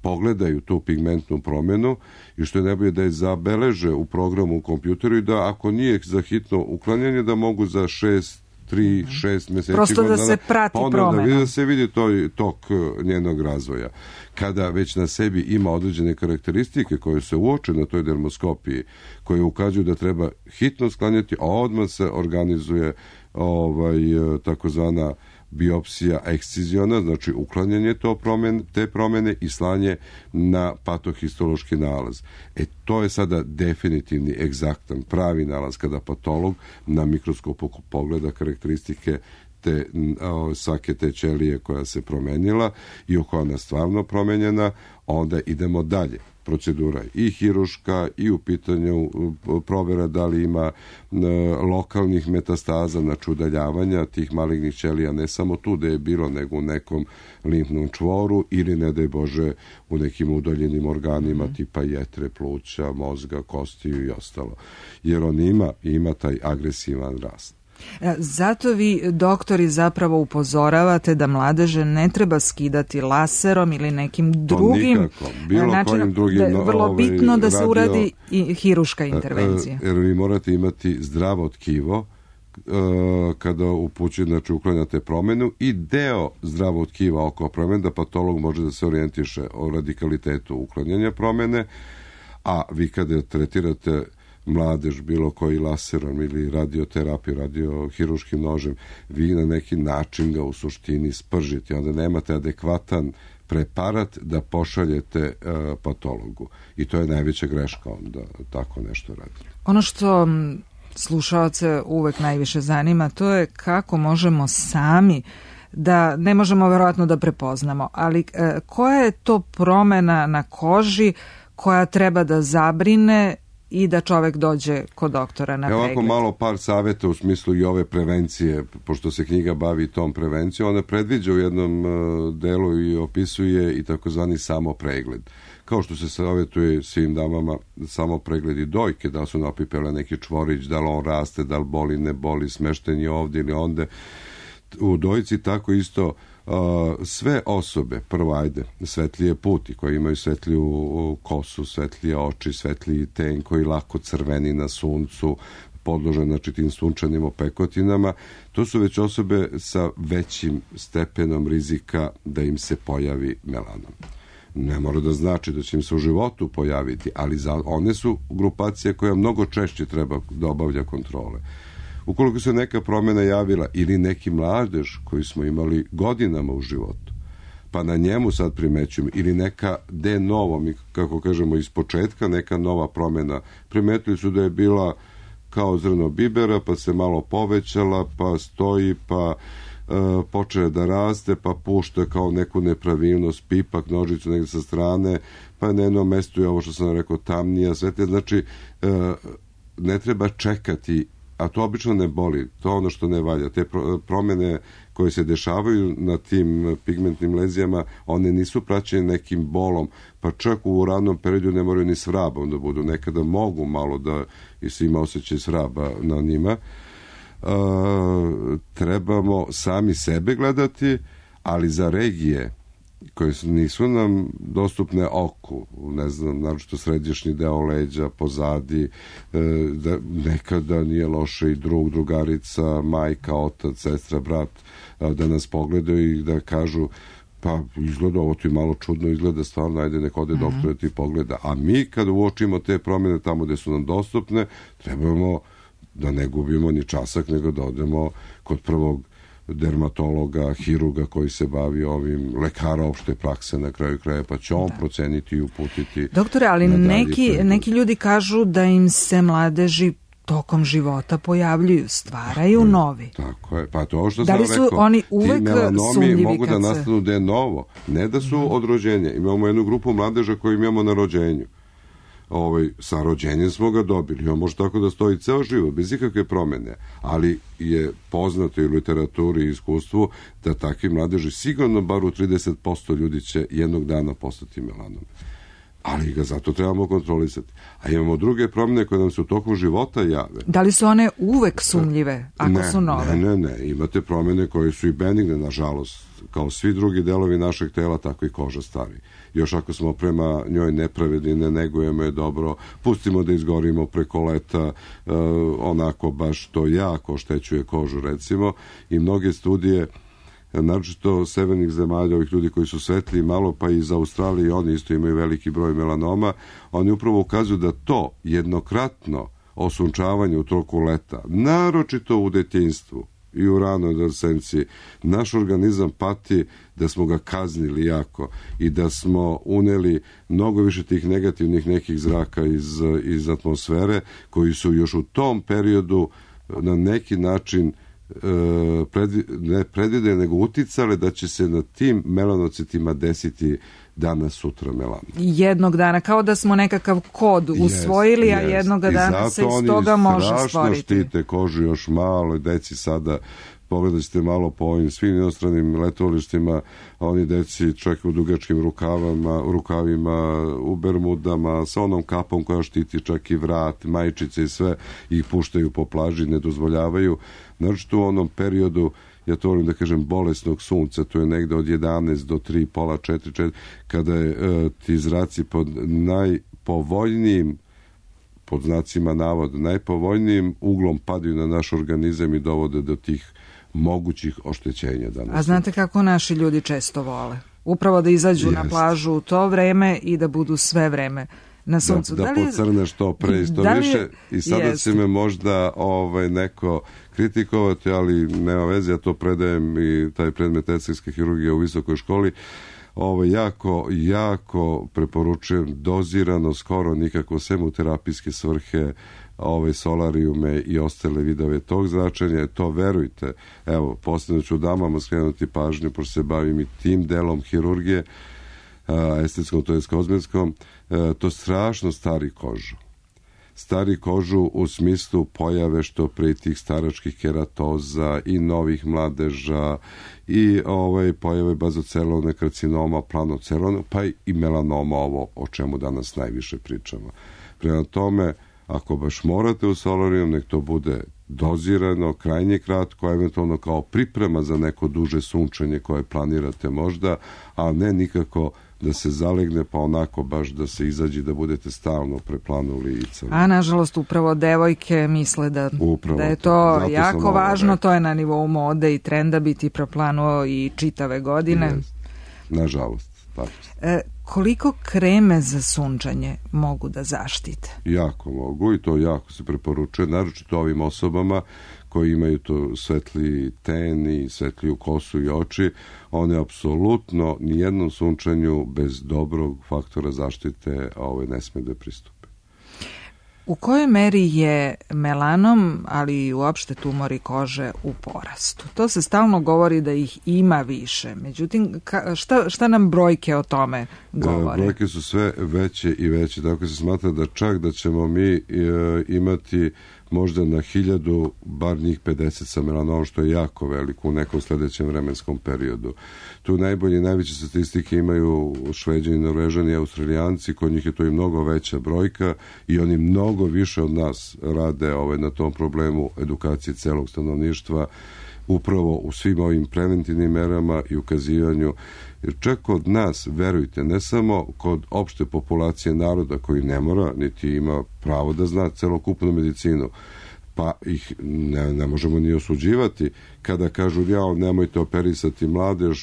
pogledaju tu pigmentnu promjenu i što je najbolje da je zabeleže u programu u kompjuteru i da ako nije za hitno uklanjanje da mogu za 3-6 meseci prosto da se prati promjena, da se vidi tok njenog razvoja. Kada već na sebi ima određene karakteristike koje se uoče na toj dermoskopiji, koje ukazuju da treba hitno sklanjati, a odmah se organizuje takozvana biopsija eksciziona, znači uklanjanje te promene i slanje na patohistološki nalaz. To je sada definitivni, egzaktan, pravi nalaz kada patolog na mikroskopu pogleda karakteristike svake te ćelije koja se promenila i koja je stvarno promenjena, onda idemo dalje. Procedura i hiruška i u pitanju provera da li ima lokalnih metastaza, znači udaljavanja tih malignih ćelija, ne samo tu da je bilo, nego u nekom limfnom čvoru ili, ne daj Bože, u nekim udaljenim organima tipa jetre, pluća, mozga, kostiju i ostalo. Jer on ima taj agresivan rast. Zato vi, doktori, zapravo upozoravate da mladeže ne treba skidati laserom ili nekim drugim načinom, da je vrlo bitno da se uradi i hiruška intervencija. Jer vi morate imati zdravo tkivo kada upućuje, znači uklanjate promenu i deo zdravog tkiva oko promene, da patolog može da se orijentiše o radikalitetu uklanjanja promene, a vi kada tretirate mladež bilo koji laserom ili radioterapiju, radiohiruškim nožem, vi na neki način ga u suštini spržite, onda nemate adekvatan preparat da pošaljete patologu. I to je najveća greška onda tako nešto radi. Ono što slušaoce uvek najviše zanima, to je kako možemo sami da, ne možemo verovatno da prepoznamo, ali koja je to promena na koži koja treba da zabrine i da čovek dođe kod doktora na pregled? Ovako malo par savjeta u smislu i ove prevencije, pošto se knjiga bavi tom prevencijom, ona predviđa u jednom delu i opisuje i takozvani samopregled. Kao što se savjetuje svim damama samo pregledi dojke, da li su napipele neki čvorić, da li on raste, da li boli, ne boli, smešten je ovdje ili onde. U dojci tako isto sve osobe, prvo svetlije puti koji imaju svetliju kosu, svetlije oči, svetliji ten koji lako crveni na suncu, podložen znači tim sunčanim opekotinama, to su već osobe sa većim stepenom rizika da im se pojavi melanom. Ne mora da znači da će im se u životu pojaviti, ali one su grupacije koja mnogo češće treba da obavlja kontrole. Ukoliko se neka promjena javila ili neki mladež koji smo imali godinama u životu, pa na njemu sad primećujemo, ili neka de novo, mi kako kažemo iz početka, neka nova promjena, primetili su da je bila kao zrno bibera, pa se malo povećala, pa stoji, pa počne da raste, pa pušta kao neku nepravilnost, pipak, nožicu negdje sa strane, pa na jednom mestu je ovo što sam rekao tamnija, svetlija. Znači, ne treba čekati, a to obično ne boli, to je ono što ne valja. Te promjene koje se dešavaju na tim pigmentnim lezijama, one nisu praćene nekim bolom, pa čak u ranom periodu ne moraju ni svrabom da budu, nekada mogu malo da se ima osjećaj svraba na njima. Trebamo sami sebe gledati, ali za regije koje nisu nam dostupne oku, ne znam, naročito središnji deo leđa, pozadi, da nekada nije loše i drug, drugarica, majka, otac, sestra, brat, da nas pogledaju i da kažu pa izgleda, ovo ti malo čudno izgleda, stvarno, ajde nek ode doktor ti pogleda. A mi kad uočimo te promjene tamo gde su nam dostupne, trebamo da ne gubimo ni časak, nego da odemo kod prvog dermatologa, hiruga koji se bavi ovim, lekara opšte prakse na kraju kraja, pa će on proceniti i uputiti. Doktore, ali neki ljudi kažu da im se mladeži tokom života pojavljuju, stvaraju novi. Tako je, pa to što da sam li su rekao, oni uvek ti melanomi sumnjivi mogu da nastanu da je novo, ne da su od rođenja. Imamo jednu grupu mladeža koju imamo na rođenju. Sa rođenjem smo ga dobili. On može tako da stoji ceo život, bez ikakve promjene. Ali je poznato i u literaturi i iskustvu da takvi mladeži sigurno bar u 30% ljudi će jednog dana postati melanom. Ali ga zato trebamo kontrolisati. A imamo druge promjene koje nam se u toku života jave. Da li su one uvek sumnjive ako su nove? Ne. Imate promjene koje su i benigne, nažalost. Kao svi drugi delovi našeg tela, tako i koža stari. Još ako smo prema njoj nepravedni, ne negujemo je dobro, pustimo da izgorimo preko leta, onako baš to jako oštećuje kožu, recimo. I mnoge studije, naročito severnih zemalja, ovih ljudi koji su svetliji malo, pa i iz Australije, oni isto imaju veliki broj melanoma, oni upravo ukazuju da to jednokratno osunčavanje u toku leta, naročito u detinjstvu i u ranoj adolescenciji, naš organizam pati da smo ga kaznili jako i da smo uneli mnogo više tih negativnih nekih zraka iz atmosfere, koji su još u tom periodu na neki način ne predvideli, nego uticale da će se na tim melanocitima desiti danas, sutra melan. Jednog dana, kao da smo nekakav kod usvojili, a jednog dana se iz toga može stvoriti. I zato oni strašno štite kožu još malo, deci sada, pogledali ste malo po ovim svim inostranim letovalištima, oni deci čak u dugačkim rukavima, u bermudama, sa onom kapom koja štiti čak i vrat, majčice i sve, ih puštaju po plaži, ne dozvoljavaju. Naročito u onom periodu, ja to volim da kažem, bolesnog sunca, to je negde od 11 do 3, pola 4, kada je ti zraci pod najpovoljnijim, pod znacima navoda, najpovoljnijim uglom padaju na naš organizam i dovode do tih mogućih oštećenja danas. A znate kako naši ljudi često vole? Upravo da izađu na plažu u to vreme i da budu sve vreme na suncu. Da pocrne što pre i što više. I sada će me možda neko kritikovati, ali nema veze, ja to predajem i taj predmet estetske hirurgije u visokoj školi. Jako preporučujem dozirano, skoro nikako, sem u terapijske svrhe, solarijume i ostale vidove tog zračenja. To verujte, evo, posljedno ću damama skrenuti pažnju, pošto se bavim i tim delom hirurgije, estetskom, to je kozmetskom, to strašno stari kožu. Stari kožu u smislu pojave što pre tih staračkih keratoza i novih mladeža i pojave bazocelovne karcinoma, planocelovne, pa i melanoma, ovo o čemu danas najviše pričamo. Prema tome, ako baš morate u solarijum, nek to bude dozirano, krajnje kratko, eventualno kao priprema za neko duže sunčanje koje planirate možda, a ne nikako da se zalegne, pa onako baš da se izađe, da budete stalno preplanuli i crno. A nažalost upravo devojke misle da je to jako važno, to je na nivou mode i trenda biti preplanuo i čitave godine. Nažalost. Koliko kreme za sunčanje mogu da zaštite? Jako mogu i to jako se preporučuje, naročito ovim osobama koji imaju to svetli ten i svetliju kosu i oči. One apsolutno nijednom sunčanju bez dobrog faktora zaštite ne sme da pristupe. U kojoj meri je melanom, ali i uopšte tumori kože u porastu? To se stalno govori da ih ima više. Međutim, šta nam brojke o tome govore? Brojke su sve veće i veće. Tako se smatra da čak da ćemo mi imati možda na 1000 bar njih 50 sa melanomom, što je jako veliko u nekom sledećem vremenskom periodu. Tu najveće statistike imaju Šveđani, Norvežani i Australijanci, kod njih je to i mnogo veća brojka i oni mnogo više od nas rade na tom problemu edukacije celog stanovništva, upravo u svim ovim preventivnim merama i ukazivanju. Jer čak kod nas, verujte, ne samo kod opšte populacije naroda koji ne mora, niti ima pravo da zna celokupnu medicinu, pa ih ne možemo ni osuđivati kada kažu nemojte operisati mladež,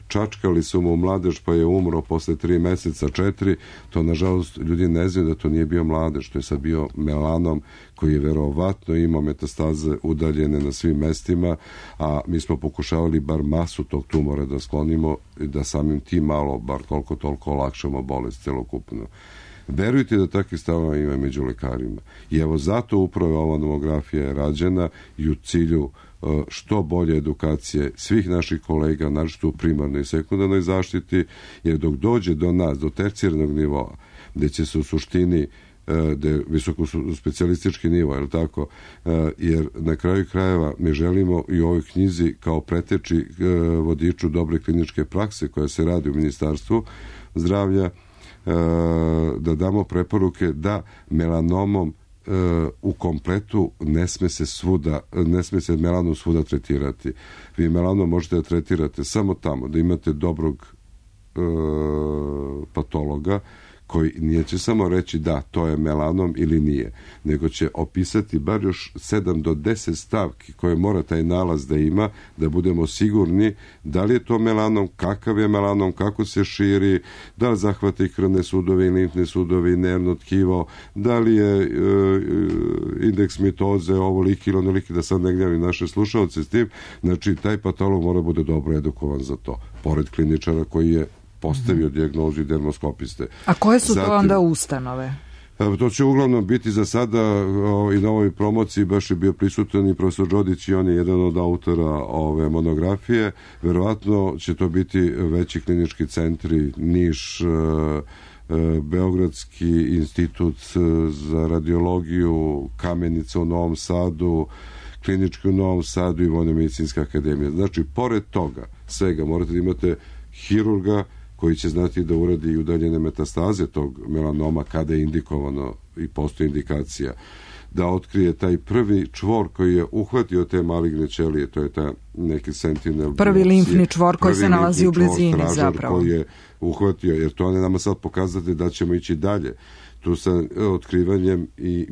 čačkali su mu mladež pa je umro posle 3 meseca, 4, to nažalost ljudi ne znaju da to nije bio mladež, to je sad bio melanom koji je verovatno imao metastaze udaljene na svim mestima, a mi smo pokušavali bar masu tog tumora da sklonimo i da samim tim malo, bar toliko olakšamo bolest celokupno. Verujte da takvih stavova ima među lekarima. I evo zato upravo ova mamografija je rađena i u cilju što bolje edukacije svih naših kolega, naročito u primarnoj i sekundarnoj zaštiti, jer dok dođe do nas, do tercijarnog nivoa, gde će se u suštini da je visoko specijalistički nivo, je li tako? Jer na kraju krajeva mi želimo i u ovoj knjizi kao preteči vodiču dobre kliničke prakse koja se radi u Ministarstvu zdravlja, da damo preporuke da melanomom u kompletu ne sme se melanom svuda tretirati. Vi melanom možete da tretirate samo tamo da imate dobrog patologa koji nije će samo reći da, to je melanom ili nije, nego će opisati bar još 7 do 10 stavki koje mora taj nalaz da ima, da budemo sigurni da li je to melanom, kakav je melanom, kako se širi, da li zahvata i krvne sudove i limfne sudove i nervno tkivo, da li je indeks mitoze ovoliki ili onoliki, da sad ne gnjavim naše slušalce s tim. Znači, taj patolog mora bude dobro edukovan za to, pored kliničara koji je postavio dijagnozu i dermoskopiste. A koje su to onda ustanove? To će uglavnom biti za sada i na ovoj promociji baš je bio prisutan i profesor Đodić i on je jedan od autora ove monografije. Verovatno će to biti veći klinički centri, Niš, Beogradski institut za radiologiju, Kamenica u Novom Sadu, klinički u Novom Sadu i Vojno-medicinska akademija. Znači, pored toga svega morate da imate hirurga koji će znati da uradi i udaljene metastaze tog melanoma kada je indikovano i postoji indikacija, da otkrije taj prvi čvor koji je uhvatio te maligne ćelije, to je ta neki sentinel. Prvi limfni čvor koji se nalazi u blizini zapravo. Koji je uhvatio, jer to ne nama sad pokazati da ćemo ići dalje. Tu sa otkrivanjem i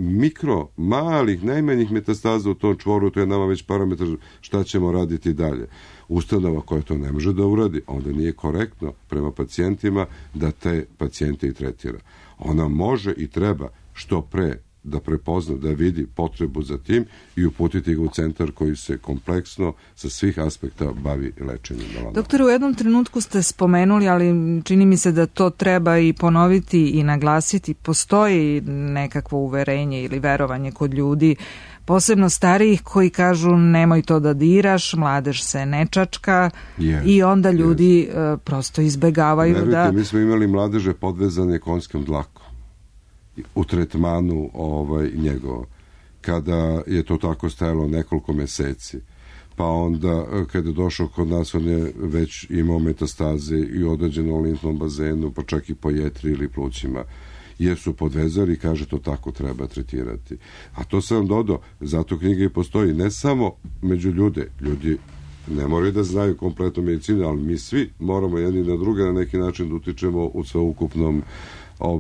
malih, najmanjih metastaza u tom čvoru, to je nama već parametar šta ćemo raditi dalje. Ustanova koja to ne može da uradi, onda nije korektno prema pacijentima da te pacijente i tretira. Ona može i treba što pre da prepozna, da vidi potrebu za tim i uputiti ga u centar koji se kompleksno sa svih aspekta bavi lečenjem melanoma. Doktore, u jednom trenutku ste spomenuli, ali čini mi se da to treba i ponoviti i naglasiti, postoji nekakvo uverenje ili verovanje kod ljudi, posebno starijih, koji kažu nemoj to da diraš, mladež se ne čačka, i onda ljudi prosto izbegavaju. Verujte, mi smo imali mladeže podvezane konjskom dlakom u tretmanu njegovo, kada je to tako stajalo nekoliko meseci. Pa onda, kada je došao kod nas, on je već imao metastaze i određeno u limfnom bazenu, pa čak i po jetri ili plućima, jer su podvezali i kaže to tako treba tretirati. A to sam vam dodao, zato knjiga i postoji, ne samo među ljudi ne moraju da znaju kompletnu medicinu, ali mi svi moramo jedni na druge na neki način da utičemo u sveukupnom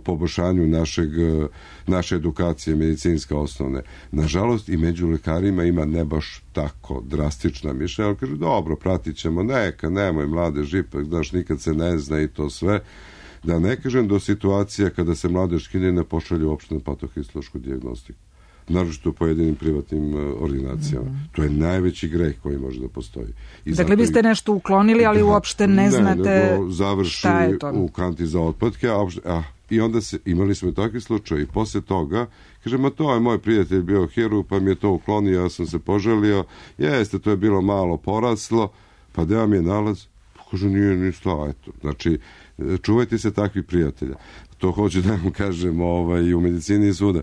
poboljšanju naše edukacije medicinske osnovne. Nažalost, i među lekarima ima ne baš tako drastična mišljenja, ali kažu, dobro, pratit ćemo, nemoj mladež, ipak, znaš, nikad se ne zna i to sve. Da ne kažem do situacija kada se mladež skine ne pošalje uopšte na patohistološku dijagnostiku. Naročito u pojedinim privatnim ordinacijama. To je najveći greh koji može da postoji. Dakle, biste nešto uklonili, ali uopšte ne znate završi šta je to. U kanti za otpadke, I onda imali smo takvi slučaj i posle toga, kaže, ma to je moj prijatelj bio hirurg, pa mi je to uklonio, ja sam se poželio, jeste, to je bilo malo poraslo, pa da vam je nalaz, kaže, nije ništa, eto. Znači, čuvajte se takvih prijatelja. To hoću da vam kažem i u medicini svuda.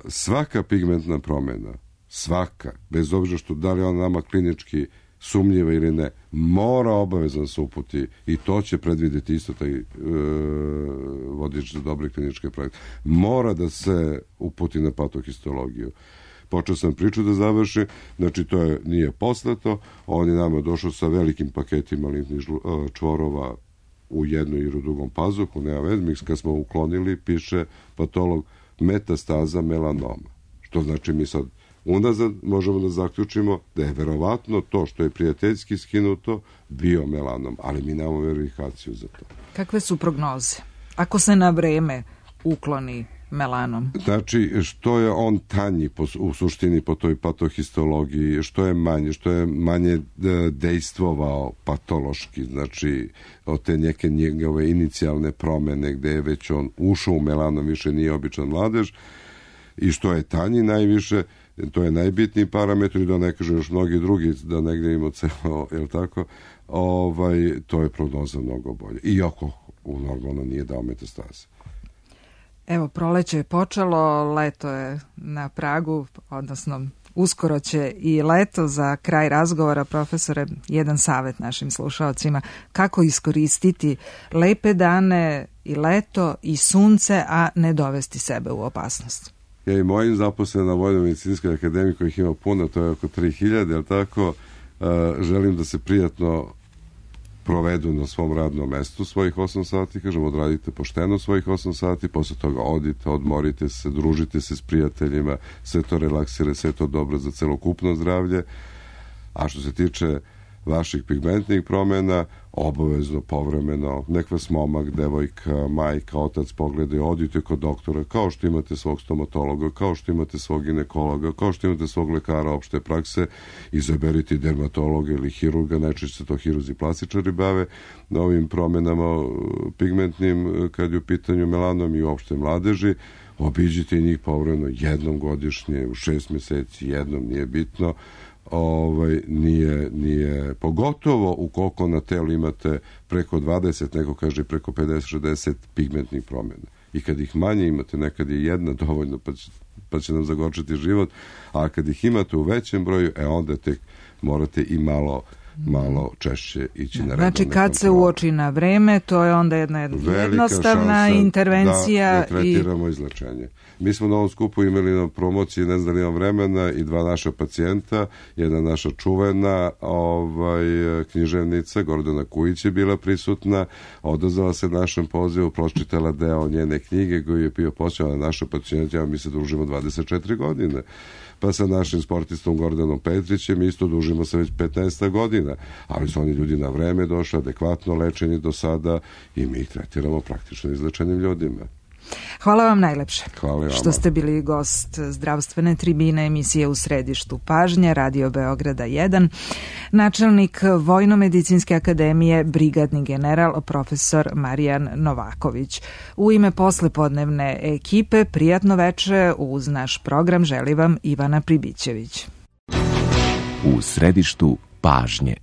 Svaka pigmentna promjena, svaka, bez obzira što da li ona nama klinički sumnjiva ili ne, mora obavezno se uputi i to će predvidjeti isto taj vodič za dobre kliničke projekte. Mora da se uputi na patohistologiju. Počeo sam priču da završim, znači to nije poslato, on je nama došao sa velikim paketima limfnih čvorova u jednom i u drugom pazuhu, nema veze, kad smo uklonili, piše patolog metastaza melanoma. Što znači mi sad unazad možemo da zaključimo da je verovatno to što je prijateljski skinuto bio melanom, ali mi nemamo verifikaciju za to. Kakve su prognoze? Ako se na vreme ukloni melanom? Znači, što je on tanji u suštini po toj patohistologiji, što je manje dejstvovao patološki, znači od te neke njegove inicijalne promene gde je već on ušao u melanom, više nije običan mladež, i što je tanji najviše, to je najbitniji parametar i da ne kažem još mnogi drugi, da negdje imamo celo, jel tako, to je prognoza mnogo bolje. Iako normalno nije dao metastaze. Evo, proleće je počelo, leto je na pragu, odnosno uskoro će i leto. Za kraj razgovora, profesore, jedan savjet našim slušalcima, kako iskoristiti lepe dane i leto i sunce, a ne dovesti sebe u opasnost. Ja i mojim zaposlen na Vojno-medicinskoj akademiji, kojih ima puno, to je oko 3000, jel tako, želim da se prijatno provedu na svom radnom mestu svojih 8 sati, kažem, odradite pošteno svojih 8 sati, posle toga odite, odmorite se, družite se s prijateljima, sve to relaksira, sve to dobro za celokupno zdravlje. A što se tiče vaših pigmentnih promjena, obavezno, povremeno, nek vas momak, devojka, majka, otac pogledaju, odite kod doktora, kao što imate svog stomatologa, kao što imate svog ginekologa, kao što imate svog lekara opšte prakse, izaberite dermatologa ili hirurga, najčešće se to hirurzi plastičari bave na ovim promjenama pigmentnim, kad je u pitanju melanom i uopšte mladeži, obiđite njih povremeno jednom godišnje, u 6 mjeseci, jednom, nije bitno, nije pogotovo ukoliko na telu imate preko 20, neko kaže preko 50-60 pigmentnih promjena. I kad ih manje imate, nekad je jedna dovoljno pa će nam zagorčati život, a kad ih imate u većem broju, onda tek morate i malo češće ići na redovne kontrole. Znači kad se uoči na vreme, to je onda jedna jednostavna intervencija. Da tretiramo izlečenje. Mi smo na ovom skupu imali na promociji, ne znam, imam vremena, i 2 naša pacijenta, jedna naša čuvena književnica, Gordana Kujić je bila prisutna, odazvala se našem pozivu, pročitala deo njene knjige koji je bio posvećen na naša pacijenta, mi se družimo 24 godine. Pa sa našim sportistom Gordanom Petrićem isto dužimo se već 15 godina, ali su oni ljudi na vreme došli, adekvatno lečeni do sada i mi ih tretiramo praktično izlečenim ljudima. Hvala vam najlepše. Hvala vam. Što ste bili gost zdravstvene tribine emisije U središtu pažnje, Radio Beograda 1, načelnik Vojno-medicinske akademije, brigadni general profesor Marijan Novaković. U ime poslepodnevne ekipe, prijatno veče uz naš program želi vam Ivana Pribićević. U središtu pažnje.